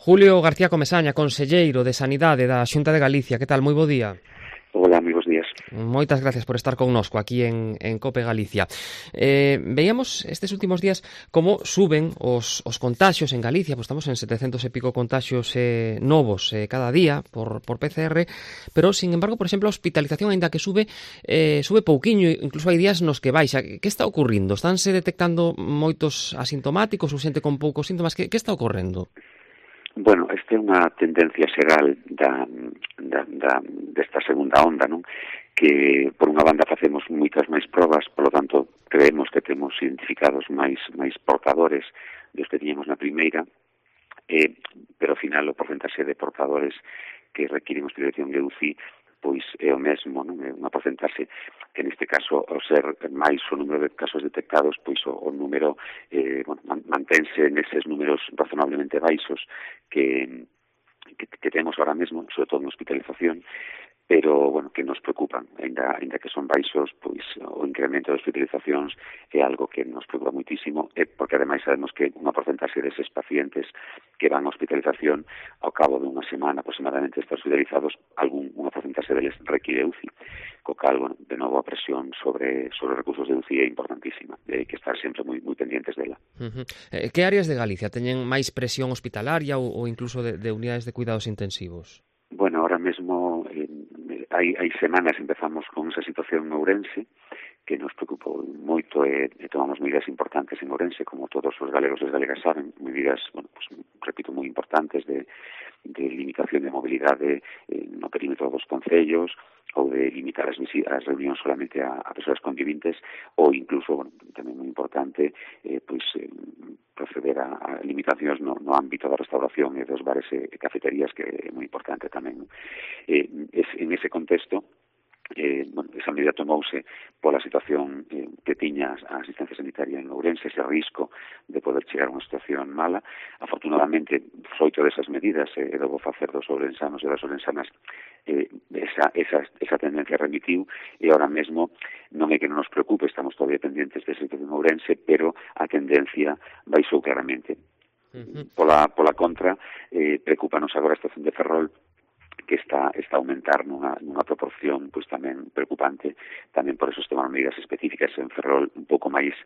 Julio García Comesaña, conselleiro de Sanidade da Xunta de Galicia. Que tal? Moi bo día. Hola, moi bons días. Moitas gracias por estar connosco aquí en COPE Galicia. Veíamos estes últimos días como suben os contaxios en Galicia, pois estamos en 700 e pico contaxios novos cada día por PCR, pero, sin embargo, por exemplo, a hospitalización, aínda que sube pouquiño, incluso hai días nos que baixa. Que está ocurrindo? Estánse detectando moitos asintomáticos ou xente con poucos síntomas? Que está ocorrendo? Bueno, esta é unha tendencia xeral desta segunda onda, non? Que, por unha banda, facemos moitas máis probas, polo tanto, creemos que temos identificados máis portadores dos que tiñemos na primeira, pero, ao final, o porcentaxe de portadores que requiren hospitalización de UCI pois é o mesmo, non? É unha porcentaxe que neste caso, ao ser máis o número de casos detectados, pois o número mantense neses números razonablemente baixos que temos ahora mesmo, sobre todo en hospitalización, pero, bueno, que nos preocupan, ainda que son baixos, pois o incremento de hospitalizacións é algo que nos preocupa muitísimo, porque ademais sabemos que unha porcentaxe deses pacientes que van a hospitalización ao cabo de unha semana aproximadamente están hospitalizados, unha porcentaxe deles require UCI, co cal, bueno, de novo a presión sobre recursos de UCI é importantísima, e hai que estar sempre moi pendientes dela. Que áreas de Galicia teñen máis presión hospitalaria ou incluso de unidades de cuidados intensivos? Bueno, ahora mesmo hai semanas empezamos con esa situación en Ourense que nos preocupou moito e tomamos medidas importantes en Ourense, como todos os galegos e as galegas saben, medidas, bueno, pues, repito, moi importantes de limitación de mobilidade no perímetro dos concellos, ou de limitar as reunións solamente a persoas convivintes, ou incluso, bueno, tamén moi importante, proceder a limitacións no ámbito da restauración e dos bares e cafeterías, que é moi importante tamén. En ese contexto, esa medida tomouse pola situación que tiña a asistencia sanitaria en Ourense, ese risco de poder chegar a unha situación mala. Afortunadamente, froito desas medidas, debo facer dos ourensanos e das ourensanas, esa tendencia remitiu, e ahora mesmo non é que non nos preocupe, estamos todavía pendientes desa situación en Ourense, pero a tendencia baixou claramente. Pola contra, preocupanos agora a situación de Ferrol, que está a aumentar nunha proporción pois tamén preocupante. Tamén por eso se tomaron medidas específicas en Ferrol un pouco máis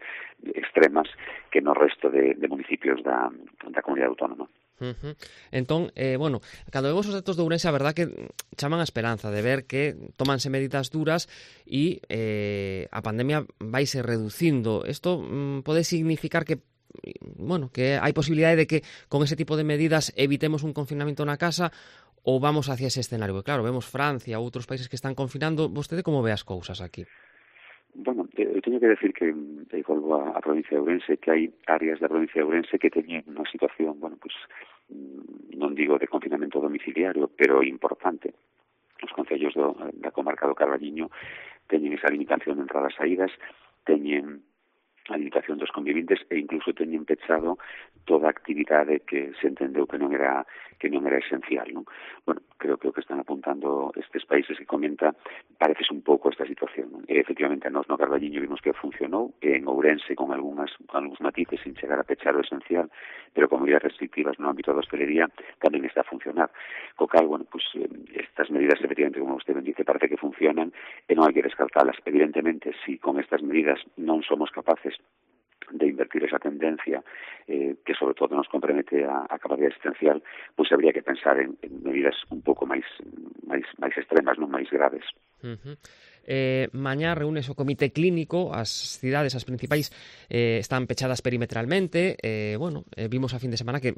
extremas que no resto de municipios da comunidade autónoma. Entón, cando vemos os datos de Ourense, a verdad que chaman a esperanza de ver que tómanse medidas duras e a pandemia vaise reducindo. Isto pode significar que hai posibilidade de que con ese tipo de medidas evitemos un confinamento na casa, ou vamos hacia ese escenario? Porque, claro, vemos Francia ou outros países que están confinando. Vostede como ve as cousas aquí? Bueno, eu teño que decir que volvo a provincia de Ourense, que hai áreas da provincia de Ourense que teñen unha situación, non digo de confinamento domiciliario, pero importante. Os concellos da comarca do Carballiño teñen esa limitación de entradas e saídas, teñen a limitación dos convivintes e incluso teñen pechado toda a actividade que se entendeu que non era esencial, non? Bueno, creo que o que están apuntando estes países que comenta pareces un pouco esta situación, non? E, efectivamente, a nós no Carballiño vimos que funcionou, e en Ourense con algúns matices sin chegar a pechar o esencial, pero con medidas restrictivas no ámbito da hostelería tamén está a funcionar. Co cal, estas medidas, efectivamente, como usted ben dice, parece que funcionan e non hai que descartalas. Evidentemente, si con estas medidas non somos capaces de invertir esa tendencia que sobre todo nos compromete a capacidade existencial, pois habría que pensar en medidas un pouco máis extremas, non máis graves. Mañá reúnese o comité clínico, as cidades, as principais, están pechadas perimetralmente. Vimos a fin de semana que,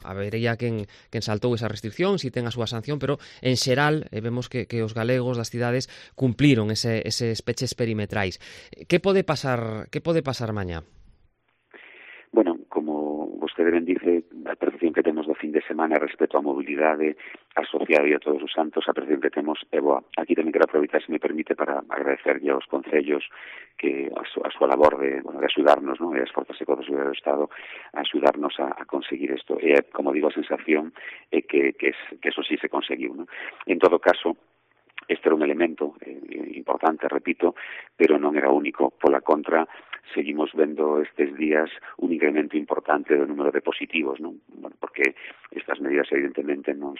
habería quen saltou esa restricción, si ten a súa sanción, pero en xeral vemos que os galegos das cidades cumpliron eses peches perimetrais. Que pode pasar mañá? Bueno, como vostede ben dice, a percepción que temos do fin de semana respecto á mobilidade asociada a Todos os Santos, a percepción que temos é boa. Aquí tamén quero aproveitar, se me permite, para agradecerlle aos concellos que a súa labor de axudarnos, non? E as forzas e codos do Estado a axudarnos a conseguir isto. E, como digo, a sensación é que eso sí se conseguiu, non? En todo caso, este era un elemento importante, repito, pero non era único. Pola contra, seguimos vendo estes días un incremento importante do número de positivos, non? Bueno, porque estas medidas evidentemente non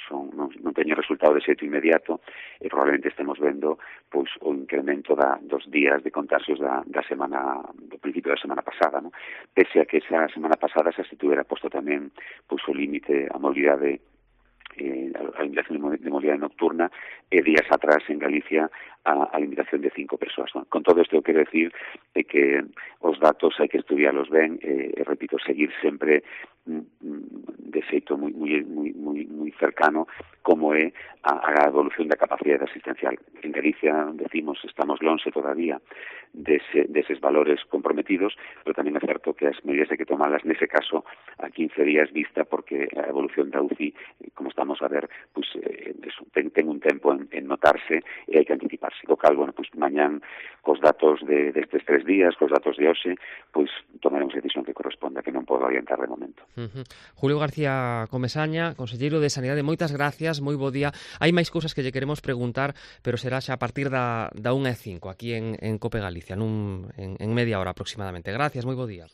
teñen resultado de xeito inmediato e probablemente estemos vendo pois o incremento dos días de contagios do principio da semana pasada, ¿no? Pese a que esa semana pasada xa se tuvera posto tamén pois o límite a mobilidade a limitación de movilidade nocturna e días atrás en Galicia a limitación de 5 persoas. ¿No? Con todo isto quero decir que os datos hai que estudiarlos ben e repito, seguir sempre de xeito moi cercano como é a evolución da capacidade asistencial. En Galicia, decimos, estamos lonxe todavía deses valores comprometidos, pero tamén é certo que as medidas hai que tomalas nese caso a 15 días vista porque a evolución da UCI, como estamos a ver, pues, ten un tempo en notarse e hai que anticiparse. O cal, bueno, pues, mañán cos datos destes 3 días, cos datos de hoxe, pues, tomaremos a decisión que corresponda, que non podo orientar de momento. Julio García Comesaña, conselleiro de Sanidade, moitas gracias, moi bo día. Hai máis cousas que lle queremos preguntar, pero será xa a partir da 1:05 aquí en COPE Galicia, en media hora aproximadamente. Gracias, moi bo día.